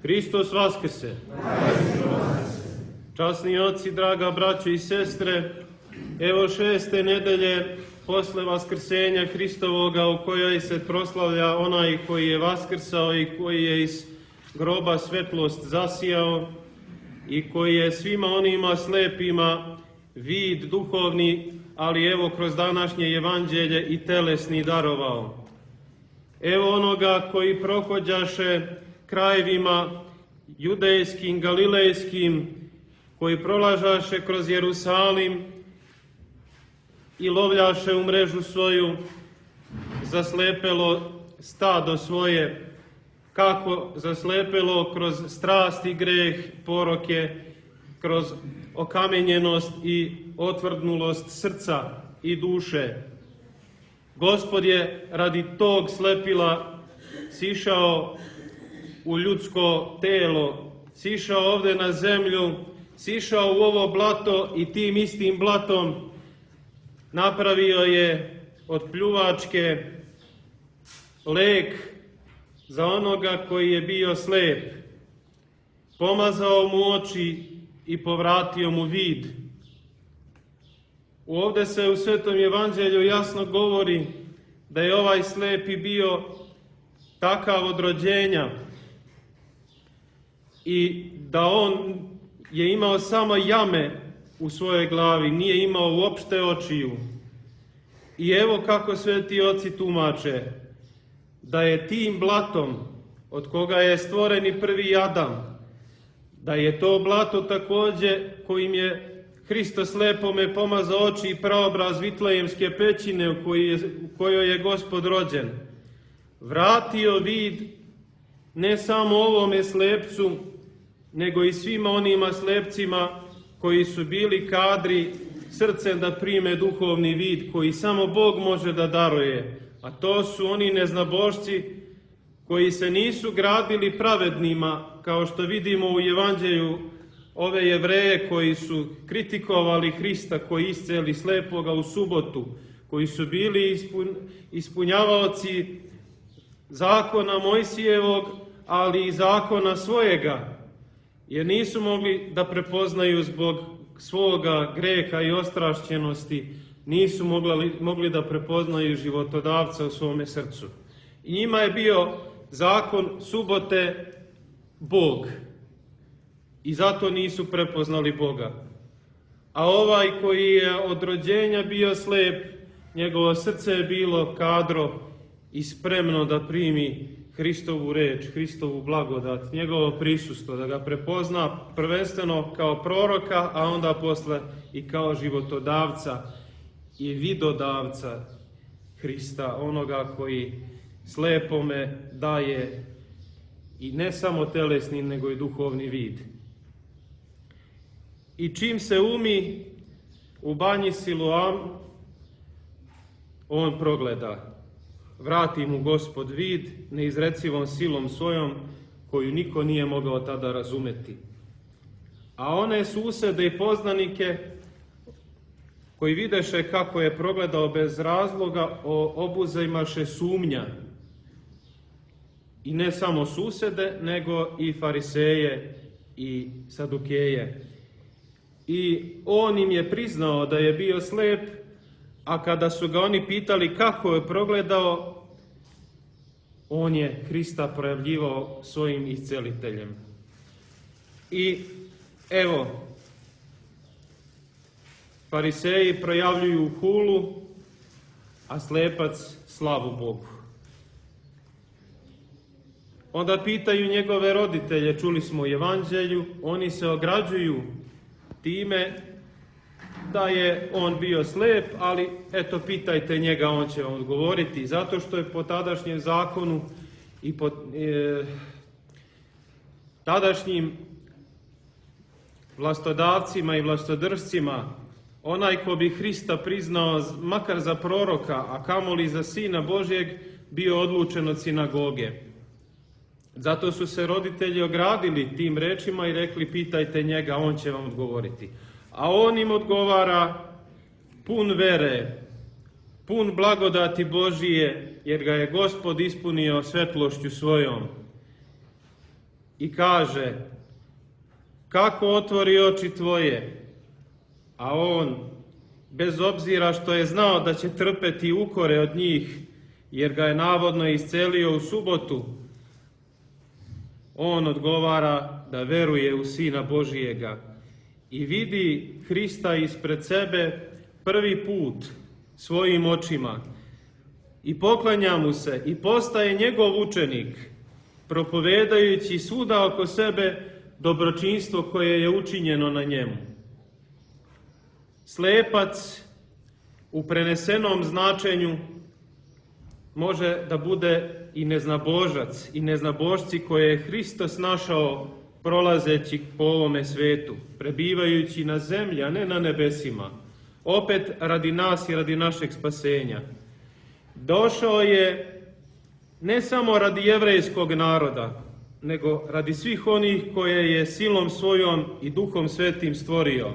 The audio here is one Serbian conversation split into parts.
Hristos vaskrse! Časni oci, draga braćo i sestre, evo 6. nedelje posle vaskrsenja Hristovoga u kojoj se proslavlja onaj koji je vaskrsao i koji je iz groba svetlost zasijao i koji je svima onima slepima vid duhovni, ali evo kroz današnje evanđelje i telesni darovao. Evo onoga koji prohođaše krajevima judejskim, galilejskim, koji prolažaše kroz Jerusalim i lovljaše u mrežu svoju zaslepelo stado svoje, kako zaslepelo kroz strast i greh, poroke, kroz okamenjenost i otvrdnulost srca i duše. Gospod je radi tog slepila sišao u ljudsko telo, sišao ovde na zemlju, sišao u ovo blato i tim istim blatom napravio je od pljuvačke lek za onoga koji je bio slep. Pomazao mu oči i povratio mu vid. Ovde se u Svetom evanđelju jasno govori da je ovaj slepi bio takav od rođenja i da on je imao samo jame u svojoj glavi, nije imao uopšte očiju. I evo kako sveti oci tumače, da je tim blatom od koga je stvoren i prvi Adam, da je to blato takođe kojim je Hristos slepome pomazao oči i praobraz Vitlejemske pećine u kojoj je Gospod rođen, vratio vid ne samo ovome slepcu, nego i svima onima slepcima koji su bili kadri srcem da prime duhovni vid koji samo Bog može da daruje. A to su oni neznabošci koji se nisu gradili pravednima, kao što vidimo u evanđelju ove Jevreje koji su kritikovali Hrista, koji isceli slepoga u subotu, koji su bili ispunjavaoci zakona Mojsijevog, ali i zakona svojega, jer nisu mogli da prepoznaju zbog svoga greha i ostrašćenosti, nisu mogli da prepoznaju životodavca u svome srcu. I njima je bio zakon subote Bog i zato nisu prepoznali Boga. A ovaj koji je od rođenja bio slep, njegovo srce je bilo kadro i spremno da primi Hristovu reč, Hristovu blagodat, njegovo prisustvo, da ga prepozna prvenstveno kao proroka, a onda posle i kao životodavca i vidodavca Hrista, onoga koji slepome daje i ne samo telesni, nego i duhovni vid. I čim se umi u banji Siloam, on progleda. Vrati mu Gospod vid neizrecivom silom svojom, koju niko nije mogao tada razumeti. A one susede i poznanike, koji videše kako je progledao bez razloga, obuzajmaše sumnja. I ne samo susede, nego i fariseje i sadukeje. I on im je priznao da je bio slep, a kada su ga oni pitali kako je progledao, on je Hrista projavljivao svojim isceliteljem. I evo, fariseji projavljuju hulu, a slepac slavu Bogu. Onda pitaju njegove roditelje, čuli smo u evanđelju, oni se ograđuju time da je on bio slep, ali eto pitajte njega, on će vam odgovoriti, zato što je po tadašnjem zakonu i po tadašnjim vlastodavcima i vlastodržcima, onaj ko bi Hrista priznao makar za proroka, a kamoli za Sina Božjeg, bio odlučen od sinagoge. Zato su se roditelji ogradili tim rečima i rekli pitajte njega, on će vam odgovoriti. A on im odgovara pun vere, pun blagodati Božije, jer ga je Gospod ispunio svetlošću svojom. i kaže: kako otvori oči tvoje? A on, bez obzira što je znao da će trpeti ukore od njih, jer ga je navodno iscelio u subotu, on odgovara da veruje u Sina Božijega i vidi Hrista ispred sebe prvi put svojim očima i poklanja mu se i postaje njegov učenik, propovedajući svuda oko sebe dobročinstvo koje je učinjeno na njemu. Slepac u prenesenom značenju može da bude i neznabožac i neznabožci koje je Hristos našao prolazeći po ovome svetu, prebivajući na zemlji, a ne na nebesima, opet radi nas i radi našeg spasenja. Došao je ne samo radi jevrejskog naroda, nego radi svih onih koje je silom svojom i Duhom Svetim stvorio.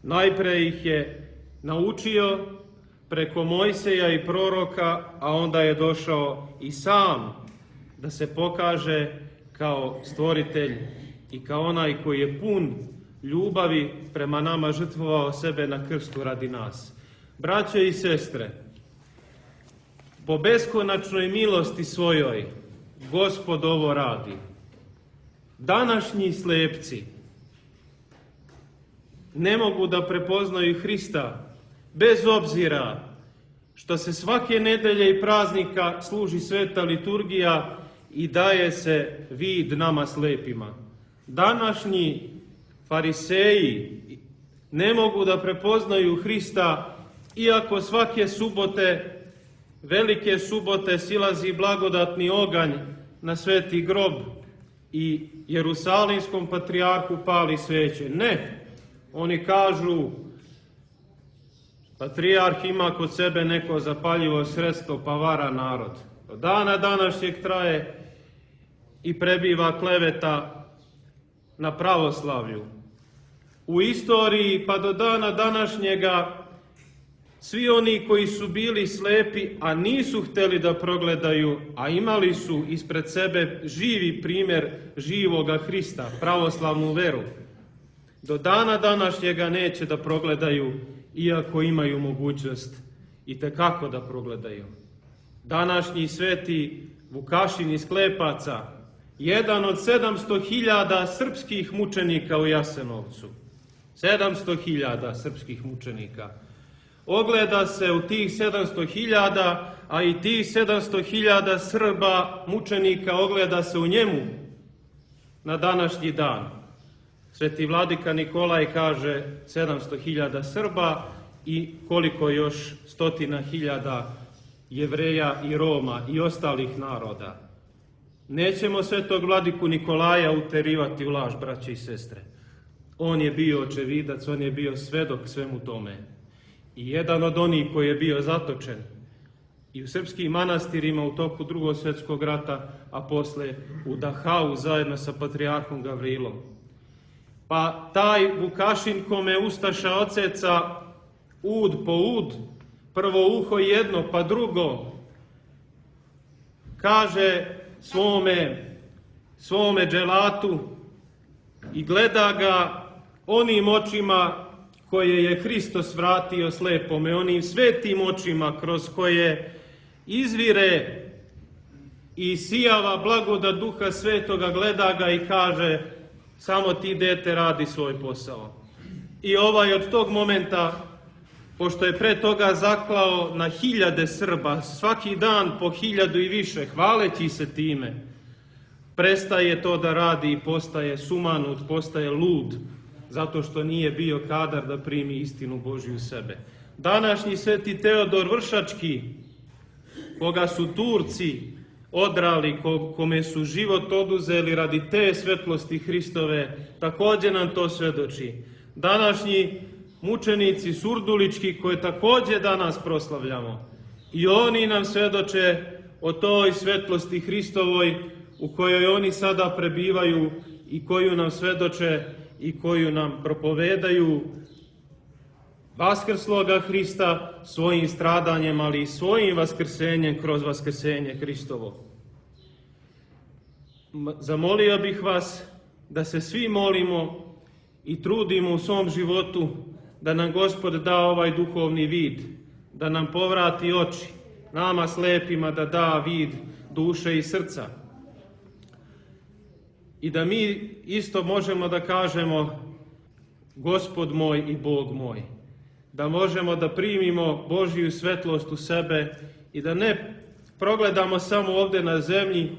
Najpre ih je naučio preko Mojseja i proroka, a onda je došao i sam da se pokaže kao stvoritelj i kao onaj koji je pun ljubavi prema nama, žrtvovao sebe na krstu radi nas. Braćo i sestre, po beskonačnoj milosti svojoj Gospod ovo radi. Današnji slepci ne mogu da prepoznaju Hrista, bez obzira što se svake nedelje i praznika služi sveta liturgija i daje se vid nama slepima. Današnji fariseji ne mogu da prepoznaju Hrista, iako svake subote, velike subote, silazi blagodatni oganj na sveti grob i Jerusalimskom patrijarhu pali sveće. Ne, oni kažu: patrijarh ima kod sebe neko zapaljivo sredstvo pa vara narod. Do dana današnjeg traje i prebiva kleveta na pravoslavlju. U istoriji pa do dana današnjega svi oni koji su bili slepi, a nisu hteli da progledaju, a imali su ispred sebe živi primjer živoga Hrista, pravoslavnu veru, do dana današnjega neće da progledaju, iako imaju mogućnost i tekako da progledaju. Današnji sveti Vukašin iz Klepaca, jedan od 700.000 srpskih mučenika u Jasenovcu. 700.000 srpskih mučenika. Ogleda se u tih 700.000, a i tih 700.000 Srba mučenika ogleda se u njemu na današnji dan. Sveti vladika Nikolaj kaže 700.000 Srba i koliko još 100.000 Jevreja i Roma i ostalih naroda. Nećemo svetog vladiku Nikolaja uterivati u laž, braće i sestre. On je bio očevidac, on je bio svedok svemu tome. I jedan od onih koji je bio zatočen i u srpskim manastirima u toku Drugog svjetskog rata, a posle u Dahau zajedno sa patrijarhom Gavrilom. Pa taj Vukašin kome ustaša oceca ud po ud, prvo uho jedno pa drugo, kaže svome dželatu i gleda ga onim očima koje je Hristos vratio slepome, onim svetim očima kroz koje izvire i sijava blagodat Duha Svetoga, gleda ga i kaže: samo ti, dete, radi svoj posao. I ovaj od tog momenta, pošto je pre toga zaklao na 1000 Srba, svaki dan po 1000 i više, hvaleći se time, prestaje to da radi i postaje sumanut, postaje lud, zato što nije bio kadar da primi istinu Božju u sebe. Današnji sveti Teodor Vršački, koga su Turci odrali, kome su život oduzeli radi te svetlosti Hristove, takođe nam to svedoči. Današnji mučenici surdulički, koje takođe danas proslavljamo, i oni nam svedoče o toj svetlosti Hristovoj u kojoj oni sada prebivaju i koju nam svedoče i koju nam propovedaju vaskrsloga Hrista svojim stradanjem, ali i svojim vaskrsenjem kroz vaskrsenje Hristovo. Zamolio bih vas da se svi molimo i trudimo u svom životu da nam Gospod da ovaj duhovni vid, da nam povrati oči, nama slepima da da vid duše i srca. I da mi isto možemo da kažemo Gospod moj i Bog moj. Da možemo da primimo Božju svetlost u sebe i da ne progledamo samo ovde na zemlji,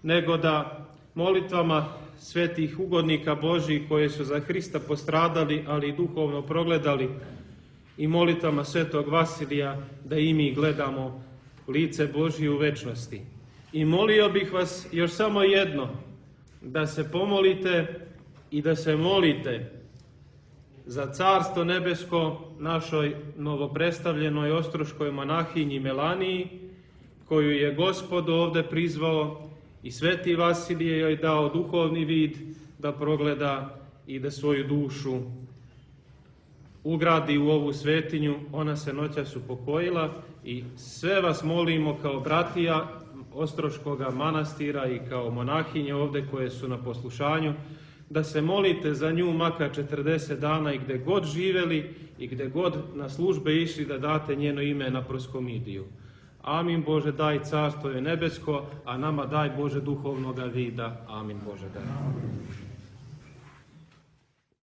nego da molitvama svetih ugodnika Božjih koje su za Hrista postradali, ali i duhovno progledali, i molitvama svetog Vasilija da i mi gledamo lice Božje u večnosti. I molio bih vas još samo jedno, da se pomolite i da se molite za Carstvo nebesko našoj novopredstavljenoj ostroškoj monahinji Melaniji, koju je Gospod ovde prizvao i sveti Vasilije joj dao duhovni vid da progleda i da svoju dušu ugradi u ovu svetinju. Ona se noćas upokojila i sve vas molimo kao bratija Ostroškoga manastira i kao monahinje ovde koje su na poslušanju, da se molite za nju makar 40 dana i gde god živeli i gde god na službe išli, da date njeno ime na proskomidiju. Amin Bože, daj carstvo je nebesko, a nama daj Bože duhovnoga vida. Amin Bože, daj.